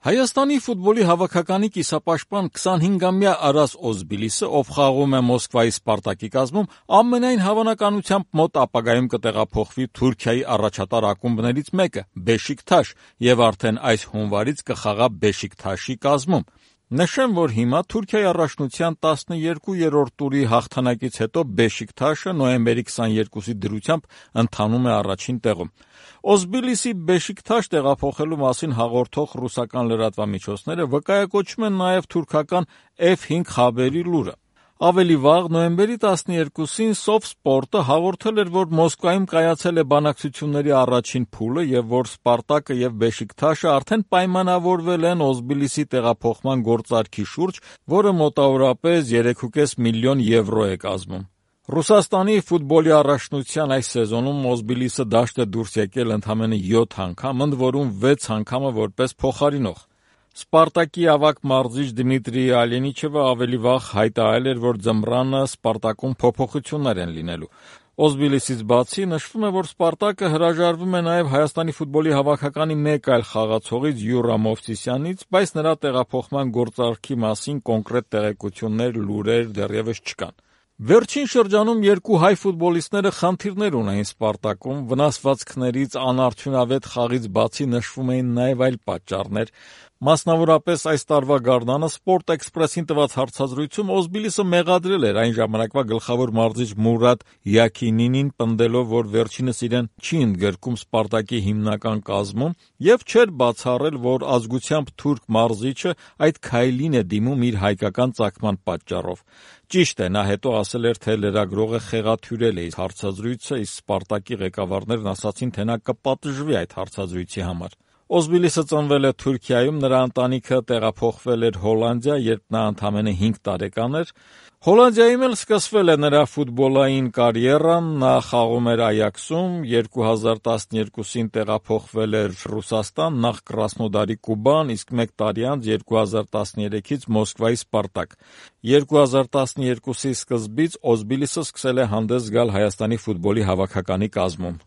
Հայաստանի ֆուտբոլի հավաքականի կիսապաշտպան 25-ամյա Արաս Օզբիլիսը, ով խաղում է Մոսկվայի Սպարտակի կազմում, ամենայն հավանականությամբ մոտ ապագայում կտեղափոխվի Թուրքիայի առաջատար ակումբներից մեկը՝ Բեշիկթաշ, եւ արդեն այս հունվարից կխաղա Բեշիկթաշի կազմում։ Նշեմ, որ հիմա Թուրքիայի առաջնության 12-րդ տուրի հաղթանակից հետո Բեշիկթաշը նոյեմբերի 22-ի դրությամբ ընթանում է առաջին տեղում։ Օզբիլիսի Բեշիկթաշ տեղափոխելու մասին հաղորդող ռուսական լրատվամիջոցները վկայակոչում են նաև թուրքական F5 խաբերի լուրը։ Ավելի վաղ, նոյեմբերի 12-ին Սովսպորտը հաղորդել էր, որ Մոսկվայում կայացել է բանակցությունների առաջին փուլը եւ որ Սպարտակը եւ Բեշիկթաշը արդեն պայմանավորվել են Օզբիլիսի տեղափոխման գործարքի շուրջ, որը մոտավորապես 3.5 միլիոն եվրո է կազմում։ Ռուսաստանի ֆուտբոլի առաջնության այս սեզոնում Օզբիլիսը դաշտ է դուրս եկել ընդամենը 7 անգամ, ընդ որում 6 անգամը որպես փոխարինող։ Սպարտակի ավագ մարզիչ Դմիտրի Ալենիչևը ավելի վաղ հայտարարել էր, որ ձմռանը Սպարտակում փոփոխություններ են լինելու։ Օզբիլիսից բացի նշվում է, որ Սպարտակը հրաժարվում է նաև Հայաստանի ֆուտբոլի հավաքականի մեկ այլ խաղացողից Յուրա Մովսիսյանից, բայց նրա տեղափոխման գործարքի մասին կոնկրետ տեղեկություններ, լուրեր դեռևս չկան։ Վերջին շրջանում երկու հայ ֆուտբոլիստները խնդիրներ ունեին Սպարտակում, վնասվածքներից, անարդյունավետ խաղից բացի նշվում էին նաև այլ պատճառներ։ Մասնավորապես այս տարվա գարնանը Sport Express-ին տված հարցազրույցում Օզբիլիսը մեղադրել էր այն ժամանակվա գլխավոր մարզիչ Մուրադ Յաքինինին, պնդելով, որ վերջինս իրեն չի ընդգրկում Սպարտակի հիմնական կազմում եւ չէր բացառել, որ ազգությամբ թուրք մարզիչը այդ քայլին է դիմում իր հայկական ծագման պատճառով։ Ճիշտ է, նա հետո ասել էր, թե լրագրողը խեղաթյուրել է հարցազրույցը, իսկ Սպարտակի ղեկավարներն ասացին, թե նա կպատժվի այդ հարցազրույցի համար։ Օզբիլիսը ծնվել է Թուրքիայում, նրա ընտանիքը տեղափոխվել էր Հոլանդիա, երբ նա ընդամենը 5 տարեկան էր։ Հոլանդիայում էլ սկսվել է նրա ֆուտբոլային կարիերան, նա խաղում էր Այաքսում, 2012-ին տեղափոխվել էր Ռուսաստան, նախ Կրասնոդարի Կուբան, իսկ մեկ տարի անց 2013-ից Մոսկվայի Սպարտակ։ 2012-ի սկզբից Օզբիլիսը սկսել է հանդես գալ Հայաստանի ֆուտբոլի հավաքականի կազմում։